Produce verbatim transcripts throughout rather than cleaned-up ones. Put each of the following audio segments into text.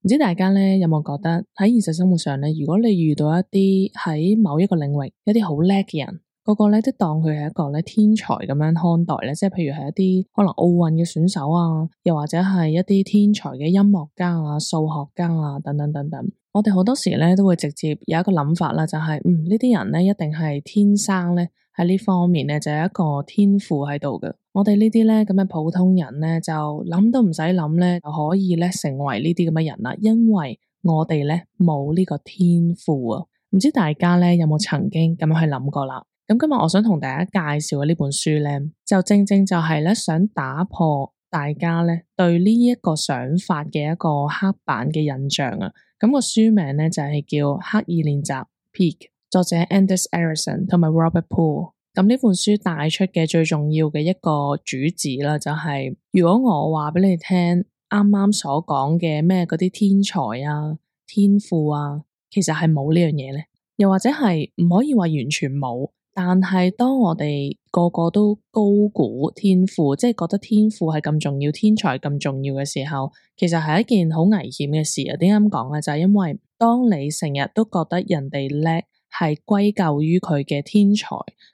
唔知大家咧有冇覺得喺現實生活上咧，如果你遇到一啲喺某一個領域一啲好叻嘅人，個個咧都當佢係一個咧天才咁樣看待咧，即係譬如係一啲可能奧運嘅選手啊，又或者係一啲天才嘅音樂家啊、數學家啊等等等等。我哋好多時咧都會直接有一個諗法啦，就係、是、嗯呢啲人咧一定係天生咧喺呢方面咧就有一個天賦喺度嘅。我哋呢啲咧咁嘅普通人咧就諗都唔使諗咧就可以咧成為呢啲咁嘅人啦，因為我哋咧冇呢個天賦啊。唔知大家咧有冇曾經咁樣去諗過啦？咁今日我想同大家介紹嘅呢本書咧，就正正就係咧想打破大家咧對呢一個想法嘅一個刻板嘅印象啊。咁個書名咧就係叫刻意練習 Peak， 作者 Anders Ericsson 同埋 Robert Poole。咁呢本書帶出嘅最重要嘅一個主旨啦，就係如果我話俾你聽，啱啱所講嘅咩嗰啲天才啊、天賦啊，其實係冇呢樣嘢咧，又或者係唔可以話完全冇，但係當我哋個個都高估天賦，即係覺得天賦係咁重要、天才咁重要嘅時候，其實係一件好危險嘅事啊！點解咁講咧？就係因為當你成日都覺得人哋叻，係歸咎於佢嘅天才、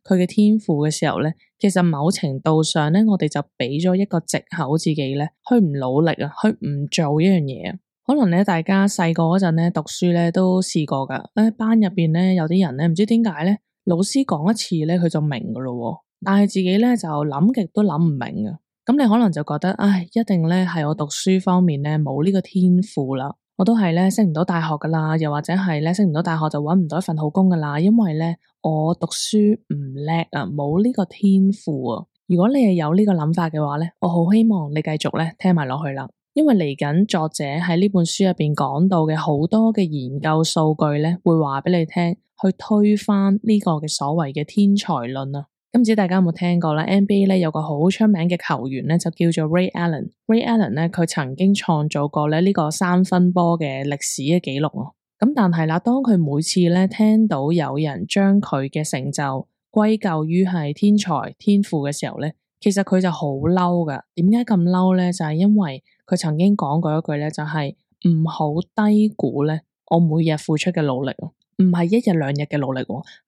佢嘅天賦嘅時候咧，其實某程度上咧，我哋就俾咗一個藉口自己咧，去唔努力啊，去唔做一樣嘢啊。可能咧，大家細個嗰陣咧讀書咧都試過噶，喺班入邊咧有啲人咧唔知點解咧，老師講一次咧佢就明噶咯，但係自己咧就諗極都諗唔明啊。咁你可能就覺得，唉，一定咧係我讀書方面咧冇呢個天賦啦。我都係咧升唔到大學噶啦，又或者係咧升唔到大學就搵唔到一份好工噶啦，因為咧我讀書唔叻啊，冇呢個天賦啊。如果你係有呢個諗法嘅話咧，我好希望你繼續咧聽埋落去啦，因為嚟緊作者喺呢本書入邊講到嘅好多嘅研究數據咧，會話俾你聽，去推翻呢個嘅所謂嘅天才論啊。唔知大家有冇聽過咧 ？N B A 咧有個好出名嘅球員咧，就叫做 Ray Allen。Ray Allen 咧，佢曾經創造過咧呢個三分波嘅歷史嘅紀錄啊。咁但係啦，當佢每次咧聽到有人將佢嘅成就歸咎於係天才天賦嘅時候咧，其實佢就好嬲噶。點解咁嬲咧？就係因為佢曾經講過一句咧，就係唔好低估咧我每日付出嘅努力啊，唔係一日兩日嘅努力，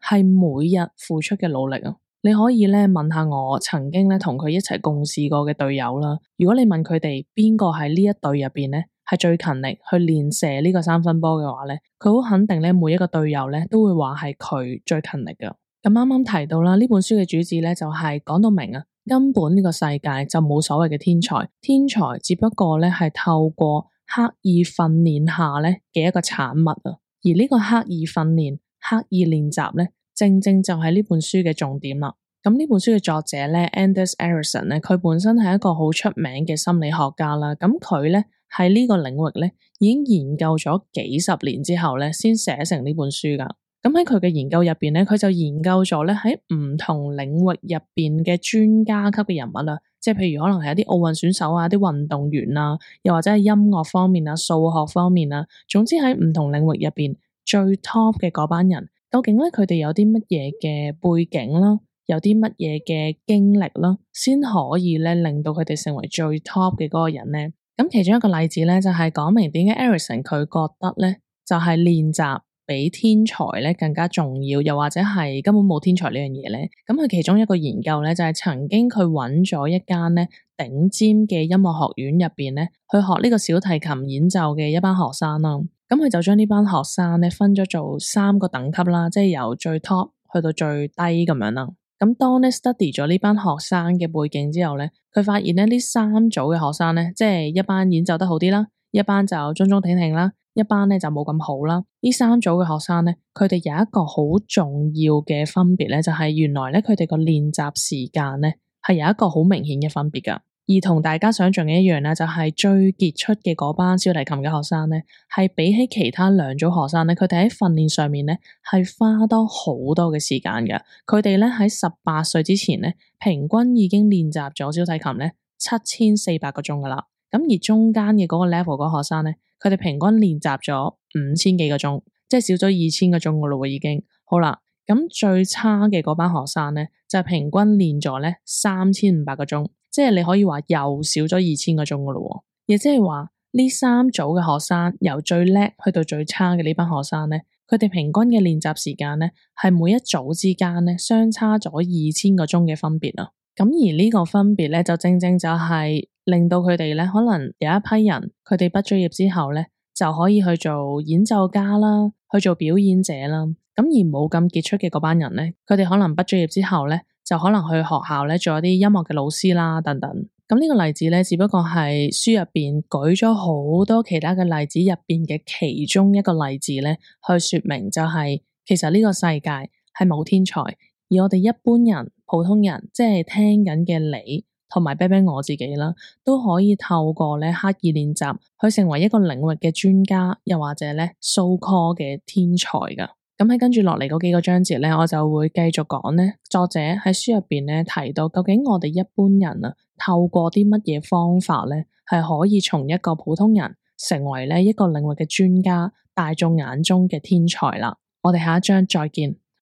係每日付出嘅努力啊。你可以咧問下我曾經咧同佢一齊共事過嘅隊友啦。如果你問佢哋邊個喺呢一隊入邊咧係最勤力去練射呢個三分波嘅話咧，佢好肯定咧每一個隊友咧都會話係佢最勤力噶。咁啱啱提到啦，呢本書嘅主旨咧就係講到明啊，根本呢個世界就冇所謂嘅天才，天才只不過咧係透過刻意訓練下咧嘅一個產物啊。而呢個刻意訓練、刻意練習咧，正正就係呢本書嘅重點啦。咁呢本書嘅作者咧 Anders Ericsson 咧，佢本身係一個好出名嘅心理學家啦。咁佢咧喺呢個領域咧已經研究咗幾十年之後咧，先寫成呢本書噶。咁喺佢嘅研究入邊咧，佢就研究咗咧喺唔同領域入邊嘅專家級嘅人物啦，即係譬如可能係一啲奧運選手啊、啲運動員啊，又或者係音樂方面啊、數學方面啊，總之喺唔同領域入邊最 top 嘅嗰班人，究竟咧佢哋有啲乜嘢嘅背景啦，有啲乜嘢嘅經歷啦，先可以咧令到佢哋成為最 top 嘅嗰個人咧。咁其中一個例子咧就係講明點解 Ericsson 佢覺得咧就係練習比天才咧更加重要，又或者係根本冇天才呢樣嘢咧。咁佢其中一個研究咧就係曾經佢揾咗一間咧頂尖嘅音樂學院入邊咧去學呢個小提琴演奏嘅一班學生啦。咁佢就將呢班學生咧分咗做三個等級啦，即係由最 top 去到最低咁樣啦。咁當咧 study 咗呢班學生嘅背景之後咧，佢發現咧呢三組嘅學生咧，即係一班演奏得好啲啦，一班就中中挺挺啦，一班咧就冇咁好啦。呢三組嘅學生咧，佢哋有一個好重要嘅分別咧，就係原來咧佢哋個練習時間咧係有一個好明顯嘅分別噶。而同大家想象嘅一樣咧，就係最傑出嘅嗰班小提琴嘅學生咧，係比起其他兩組學生咧，佢哋喺訓練上面咧係花多好多嘅時間嘅。佢哋咧喺十八歲之前咧，平均已經練習咗小提琴咧七千四百個鐘噶啦。咁而中間嘅嗰個 level 嗰個學生咧，佢哋平均練習咗五千幾個鐘，即係少咗二千個鐘噶咯，已經好啦。咁最差嘅嗰班學生咧，就係平均練咗咧三千五百個鐘。即係你可以話又少咗二千個鐘噶咯，亦即係話呢三組嘅學生由最叻去到最差嘅呢班學生咧，佢哋平均嘅練習時間咧係每一組之間咧相差咗二千個鐘嘅分別啊！咁而呢個分別咧就正正就係令到佢哋咧可能有一批人佢哋畢咗業之後咧就可以去做演奏家啦，去做表演者啦。咁而冇咁傑出嘅嗰班人咧，佢哋可能畢咗業之後咧就可能去學校咧做一啲音樂嘅老師啦等等。咁呢個例子咧只不過係書入邊舉咗好多其他嘅例子入邊嘅其中一個例子咧，去說明就係其實呢個世界係冇天才。而我哋一般人、普通人，即係聽緊嘅你同埋啤啤我自己啦，都可以透過咧刻意練習，去成為一個領域嘅專家，又或者咧 so call 嘅天才噶。咁喺跟住落嚟嗰幾個章節咧，我就會繼續講咧，作者喺書入邊咧提到，究竟我哋一般人啊，透過啲乜嘢方法咧，係可以從一個普通人成為咧一個領域嘅專家，大眾眼中嘅天才啦。我哋下一章再見。